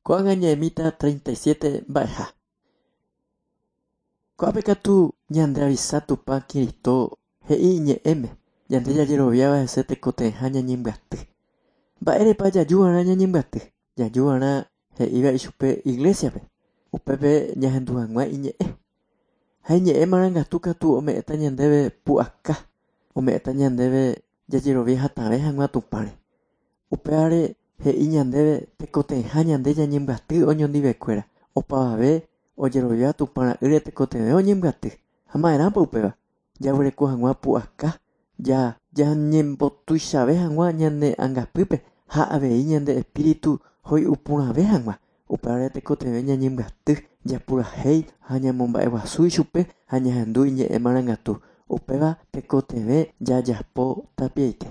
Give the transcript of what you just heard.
Ko'ág̃a ñaimíta 37 mba'eha. Ko'ápe katu ñandeavisa Tupã Kirito he'i iñe'ẽme ñande jajeroviáva hese tekotevẽha ñañembyaty. Mba'érepa jajuva'erã ñañembyaty? Jajuva'erã he'íva ichupe iglesia-pe, upépe ñahendu hag̃ua iñe'ẽ. Ha iñe'ẽ marangatu katu ome'ẽta ñandéve pu'aka, ome'ẽta ñandéve jajerovia hatãve hag̃ua Tupãre. Upévare he'i ñandéve tekotevẽha ñande ñañembyaty oñondivekuéra, opavave ojerovia Tupã ra'ýre tekotevẽ oñembyaty. Ha ma'erãpa upéva? Jaguereko hag̃ua pu'aka, ñañembotuichave hag̃ua ñane angapýpe ha avei ñande espíritu hoy'uporãve hag̃ua. Upévare tekotevẽ ñañembyaty, japurahéi ha ñamomba'eguasu ichupe ha ñahendu iñe'ẽ marangatu. Upéva tekotevẽ jajapo tapiaite.